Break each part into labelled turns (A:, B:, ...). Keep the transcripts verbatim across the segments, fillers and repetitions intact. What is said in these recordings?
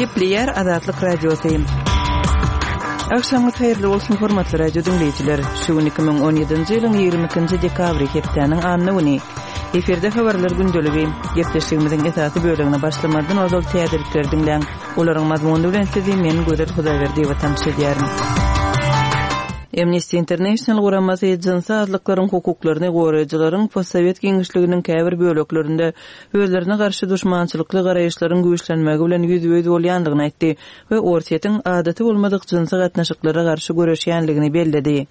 A: Gepleýär Azatlyk Radiosy. Agşamyňyz haýyrly bolsun, hormatly radio diňleýjiler. Şu gün iki müň on ýedinji ýylyň ýigrimi ikinji dekabry, hepdäniň anna güni. Efirde habarlar gündeligi. Gepleşigimiziň esasy bölegine başlamazdan ozal täzelikleri diňläň. Olaryň mazmuny bilen sizi men Gözel Hudaýberdiýewa tanyş edýärin. Amnesty International guramasy jynsy azlyklaryň hukuklaryny goraýjylaryň postsowet giňişliginiň käbir böleklerinde özlerine garşy duşmançylykly garaýyşlaryň güýçlenmegi bilen ýüzbe-ýüz bolýandygyny aýtdy we Orsýetiň adaty bolmadyk jynsy gatnaşyklara garşy göreşýänligini belledi.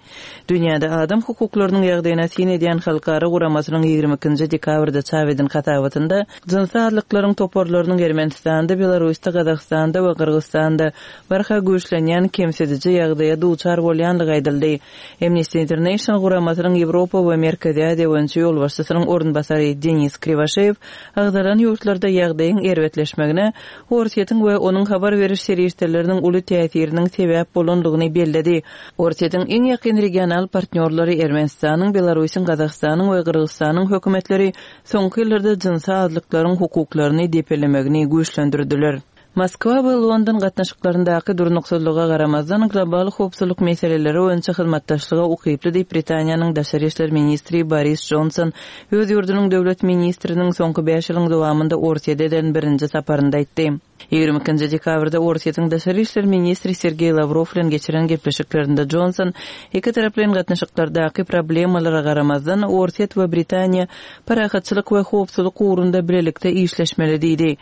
A: Dünýäde adam hukuklarynyň ýagdaýyna syn edýän halkara guramasynyň ýigrimi ikinji dekabrda çap eden hasabatynda jynsy azlyklaryň toparlarynyň Ermenistanda, Belarusda, Gazagystanda we Gyrgyzystanda barha güýçlenýän kemsidiji ýagdaýa duçar bolýandygy aýdyldy. Amnesty International guramasynyň Ýewropa we Merkezi Aziýa boýunça ýolbaşçysynyň orunbasary Denis Kriwaşeýew agzalan ýurtlarda ýagdaýyň erbetleşmegine Orsýetiň we onuň habar beriş serişdeleriniň uly täsiriniň sebäp bolandygyny belledi. Orsýetiň iň ýakyn regional partnýorlary Ermenistanyň, Belarusyň, Gazagystanyň we Gyrgyzystanyň hökümetleri soňky ýyllarda jynsy azlyklaryň hukuklaryny depelemegini güýçlendirdiler. Moskwa we London gatnaşyklaryndaky durnuksyzlyga garamazdan, global howpsuzlyk meseleleri boýunça hyzmatdaşlyga ukyply diýip, Britaniýanyň daşary işler ministri Boris Jonson öz ýurdunyň döwlet ministriniň soňky bäş ýylyň dowamynda Orsýete eden birinji saparynda aýtdy. Ýigrimi ikinji dekabrda Orsýetiň daşary işler ministri Sergeý Lawrow bilen geçiren gepleşiklerinde Jonson iki taraplaýyn gatnaşyklardaky problemalara garamazdan, Orsýet we Britaniýa parahatçylyk we howpsuzlyk ugrunda bilelikde işleşmeli diýdi.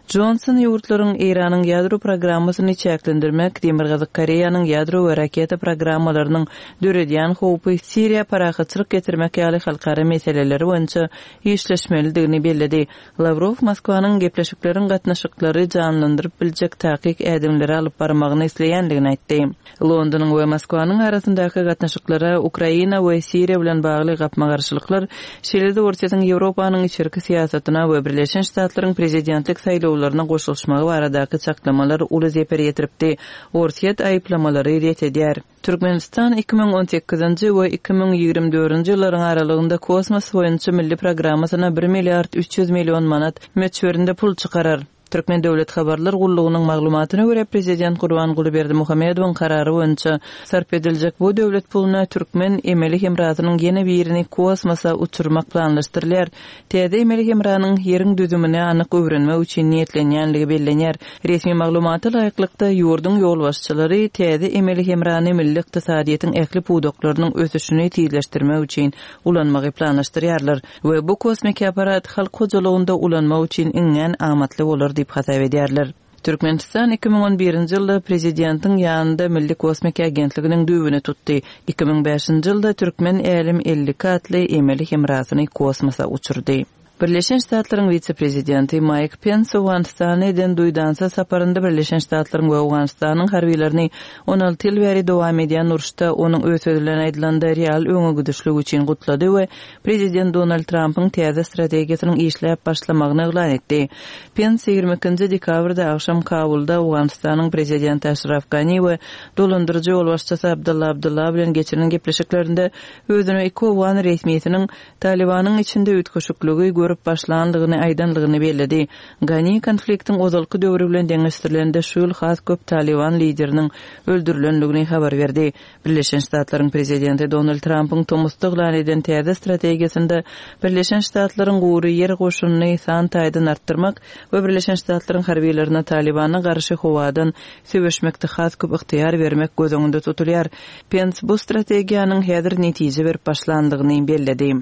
A: Jonson ýurtlaryň Eýranyň ýadro programmasyny çäklendirmek, Demirgazyk Koreýanyň ýadro we raketa programmalarynyň döredýän howpy, Siriýa parahatçylyk getirmek ýaly halkara meseleleri boýunça işleşmelidigini belledi. Lawrow Moskwanyň gepleşikleriň gatnaşyklary janlandyryp biljek takyk ädimleri alyp barmagyny isleýändigini aýtdy. Londonyň we Moskwanyň arasyndaky gatnaşyklara Ukraina we Siriýa bilen bagly gapma-garşylyklar, şeýle-de Orsýetiň Ýewropanyň içerki syýasatyna we Birleşen Ştatlaryň prezidentlik saýlawlaryna goşulyşmagy baradaky çaklamalar uly zeper ýetiripdi. Orsýet aýyplamalary ret edýär. Türkmenistan iki müň on sekizinji we iki müň ýigrimi dördünji ýyllaryň aralygynda kosmos boýunça milli programmasyna bir milliard üç ýüz million manat möçberinde pul çykarar. Türkmen döwlet habarlar gullugynyň maglumatyna görä, prezident Gurbanguly Berdimuhamedowyň karary boýunça sarp ediljek bu döwlet puluna türkmen emeli hemrasynyň ýene birini kosmosa uçurmak planlaşdyrylýar. Täze emeli hemranyň ýeriň düzümini anyk öwrenmek üçin niýetlenýänligi bellenýär. Resmi maglumata laýyklykda, ýurduň ýolbaşçylary täze emeli hemrany milli ykdysadyýetiň ähli pudaklarynyň ösüşini tizleşdirmek üçin ulanmagy planlaşdyrýarlar we bu kosmiki apparat halk hojalygynda ulanmak üçin iňňän amatly bolar diýip hasap edýärler. Türkmenistan iki müň on birinji ýylda prezidentiň ýanynda Milli kosmiki agentliginiň düýbüni tutdy. Iki müň bäşinji ýylda Türkmen Älem elli iki atly emeli hemrasyny kosmosa uçurdy. Birleşen Ştatlaryň wise-prezidenti Maýk Pens Owganystana eden duýdansyz saparynda Birleşen Ştatlaryň we Owganystanyň harbylaryny on alty ýyl bäri dowam edýän uruşda onuň öz sözi bilen aýdylanda real öňe gidişlik üçin gutlady we prezident Donald Trampyň täze strategiýasynyň işläp başlamagyny yglan etdi. Pens ýigrimi ikinji dekabrda agşam Kabulda Owganystanyň prezidenti Aşraf Gani we dolandyryjy ýolbaşçysy Abdylla Abdylla bilen geçiren gepleşiklerinde özüne iki owgan resmisiniň Talibanyň içinde üýtgeşikligi görüp başlandygyny aýdandygyny belledi. Gani konfliktiň ozalky döwri bilen deňeşdirilende şu ýyl has köp Taliban lideriniň öldürilendigini habar berdi. Birleşen Ştatlaryň prezidenti Donald Trampyň tomusda yglan eden täze strategiýasynda Birleşen Ştatlaryň gury ýer goşunyny san taýdan artdyrmak we Birleşen Ştatlaryň harbylaryna Talibana garşy howadan söweşmekde has köp ygtyýar bermek göz öňünde tutulýar. Pens bu strategiýanyň häzir netije berip başlandygyny belledi.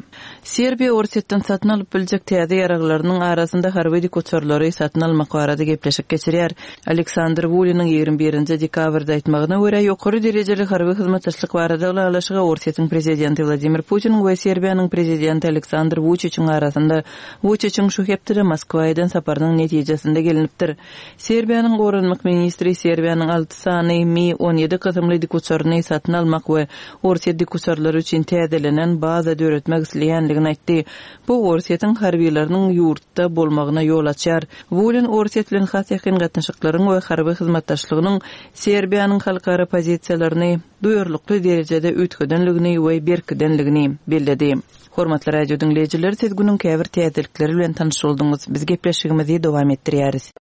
A: Serbiýa Orsýetden satyn alyp biljek täze ýaraglarynyň arasynda harby dikuçarlary satyn almak barada gepleşik geçirýär. Aleksandr Wuliniň ýigrimi birinji dekabrda aýtmagyna görä, ýokary derejeli harby hyzmatdaşlyk barada ylalaşyga Orsýetiň prezidenti Wladimir Putin we Serbiýanyň prezidenti Aleksandr Vučićiň arasynda Vučićiň şu hepdede Moskwa eden saparynyň netijesinde gelinipdir. Serbiýanyň goranmak ministri Serbiýanyň alty sany Mi on ýedi kysymly dikuçaryny satyn almak we Orsýet dikuçarlary üçin täzelenen baza döretmek isleýänligini aýtdy. Bu Orsýetiň harbylarynyň ýurtda bolmagyna ýol açar. Wulin Orsýet bilen has ýakyn gatnaşyklaryň we harby hyzmatdaşlygynyň Serbiýanyň halkara pozisiýalaryny duýarlykly derejede üýtgedenligini we berkidenligini belledi. Hormatly radio diňleýjiler, siz günüň käbir täzelikleri bilen tanyş bolduňyz. Biz gepleşigimizi dowam etdirýäris.